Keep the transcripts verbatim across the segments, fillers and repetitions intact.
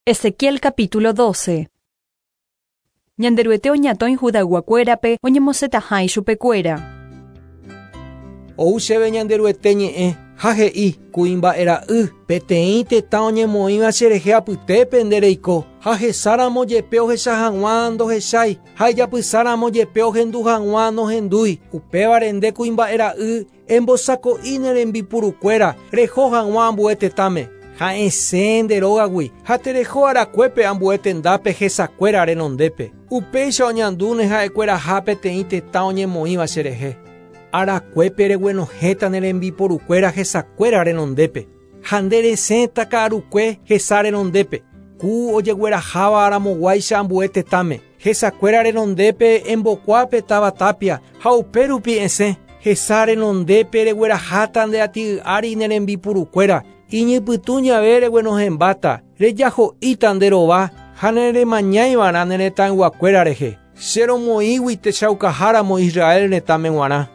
Ezequiel capítulo doce. Ñanderuete oñatõi Judayguakuérape oñemosẽtaha ichupekuéra. Ou chéve Ñanderuete ñe'ẽ ha he'i kuimba'era'y peteĩ tetã oñemoĩva cherehe apytépe nde reiko ha hesáramo jepe ohecha hag̃ua ndohechái ha ijapysáramo jepe ohendu hag̃ua nohendúi upévare nde kuimba'era'y embosako'i ne rembipurukuéra reho hag̃ua ambue tetãme ha esẽ nde rógagui ha tereho arakuépe ambue tendápe hesakuéra renondépe upéicha oñandúne ha'ekueraha peteĩ tetã oñemoĩva cherehe arakuépe reguenohẽta ne rembiporukuéra hesakuéra renondépe ha nde resẽta ka'arukue hesa renondépe ku ojegueraháva aramoguáicha ambue tetãme hesakuéra renondépe embokuápe táva tapia ha upérupi esẽ hesa renondépe regueraháta nde ati'y ári ne rembipurukuéra iñypytũ ñave reguenohẽmbáta rejaho'íta nde rova ha neremañáivarã ne retãyguakuéra rehe che romoĩgui techaukaháramo Israel retãme g̃uarã.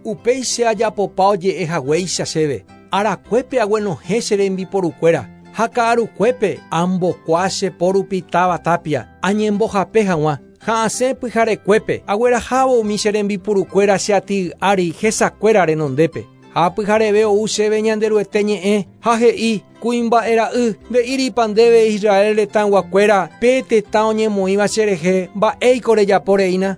Upéi che ajapopa oje'e haguéicha chéve arakuépe aguenohẽ che rembiporukuéra ha ka'arukuépe ambokua che porupi táva tapia añembohape hag̃ua ha asẽ pyharekuépe aguerahávo umi che rembipurukuéra che ati'y ári hesakuéra renondépe ha pyhareve ou chéve Ñanderuete ñe'ẽ ha he'i kuimba'era'y nde'íripa ndéve Israel retãyguakuéra pe tetã oñemoĩva cherehe mba'éiko rejaporeína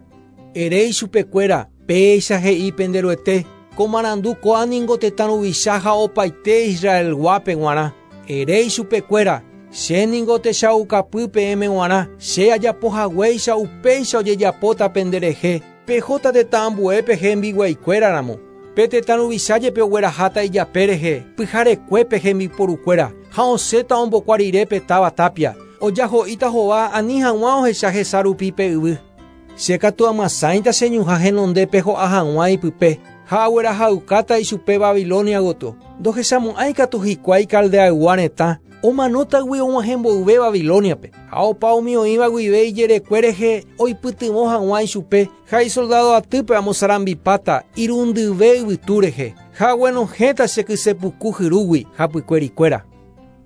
ere ichupekuéra péicha he'i penderuete ko marandu kóa ningo tetã ruvicha ha opaite Israelguápe g̃uarã ere ichupekuéra che ningo techaukapy peẽme g̃uarã che ajapohaguéicha upéicha ojejapóta penderehe pehóta tetã ambuépe hembiguaikuéraramo pe tetã ruvicha jepe ogueraháta ijape rehe pyharekuépe hembiporukuéra ha osẽta ombokua rire pe táva tapia ojaho'íta hova ani hag̃ua ohecha hesa rupi pe yvy che katu amasãita che ñuhã henondépe ho'a hag̃ua ipype ha aguerahaukáta ichupe Babilonia gotyo ndohechamo'ãi katu hikuái Caldeaygua retã omanótagui og̃uahẽ mboyve Babiloniape ha opa umi oĩva guive ijerekue rehe oipytyvõ hag̃ua ichupe ha isoldado atýpe amosarambipáta irundyve yvytu rehe ha aguenohẽta che kysepuku hyrúgui hapykuerikuéra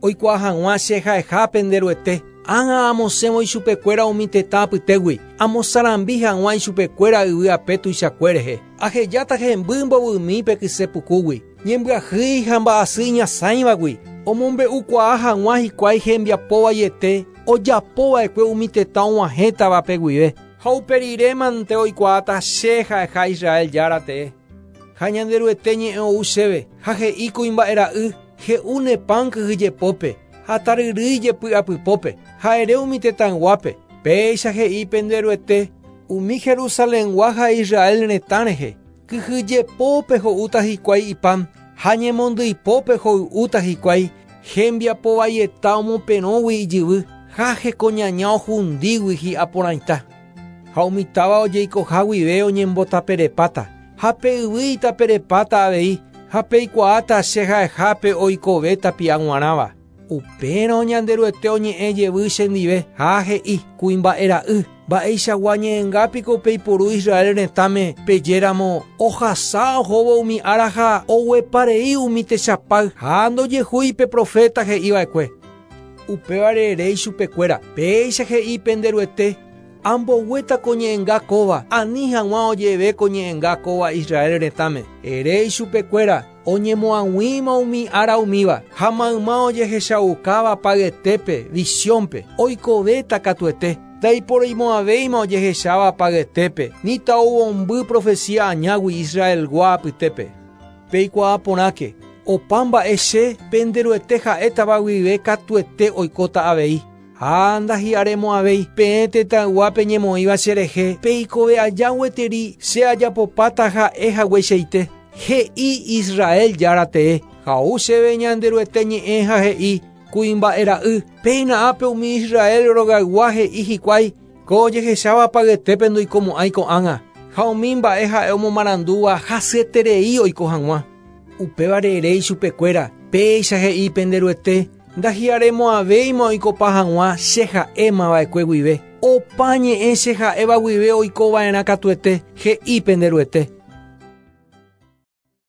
oikuaa hag̃ua che ha'eha penderuete ág̃a amosẽvo ichupekuéra umi tetã apytégui amosarambi hag̃ua ichupekuéra yvy ape tuichakue rehe ahejáta hemby mbovymi pe kysepukúgui ñembyahýi ha mba'asy iñasãivagui omombe'ukuaa hag̃ua hikuái hembiapovaiete ojapova'ekue umi tetã og̃uahẽtavape guive ha uperirémante oikuaáta che ha'eha Israel jára tee ha Ñanderuete ñe'ẽ ou chéve ha he'i kuimba'era'y he'u ne pan kyhyjepópe ha taryrýi jepy'apypópe ha ere umi tetãyguápe péicha he'i penderuete umi Jerusalengua ha Israel retã rehe kyhyjepópe ho'úta hikuái ipan ha ñemondyipópe hoy'úta hikuái hembiapovaieta omoperõgui ijyvy ha hekoñaña ohundígui hi'aporãita ha umi táva ojeikoha guive oñembotaperepáta ha pe yvy itaperepáta avei ha peikuaáta che ha'ehápe oikove tapia g̃uarãva upérõ Ñanderuete oñe'ẽ jevy chendive ha he'i kuimba'era'y mba'eichagua ñe'ẽngápiko peiporu Israel retãme pejéramo ohasa ohóvo umi ára ha ogueparei umi techapáy ha ndojehúi pe profeta he'iva'ekue upévare ere ichupekuéra péicha he'i penderuete amboguéta ko ñe'ẽnga kóva ani hag̃ua ojeve ko ñe'ẽnga kóva Israel retãme ere ichupekuéra oñemoag̃uíma umi ára umíva ha mayma ojehechaukáva payetépe visiónpe oikovéta katuete ndaiporoimo'ãvéima ojehecháva payetépe ni ta'uvõmby profecía añágui Israelgua apytépe peikuaa porãke opa mba'e che penderuete ha'étava guive katuete oikóta avei ha ndahi'aremo'ãvéi peẽ tetãyguápe ñemoĩva cherehe peikove aja gueteri che ajapopáta ha'e hagueichaite he'i Israel jára tee ha ou chéve Ñanderuete ñe'ẽ ha he'i kuimba'era'y péina ápe umi Israel rogaygua he'i hikuái ko ojehecháva payetépe ndoikomo'ãi ko'ág̃a ha umi mba'e ha'e omomarandúva hasyeterei oiko hag̃ua upévare ere ichupekuéra péicha he'i penderuete ndahi'aremo'ãvéima oikopa hag̃ua che ha'émava'ekue guive opa ñe'ẽ che ha'éva guive oikova'erã katuete he'i penderuete.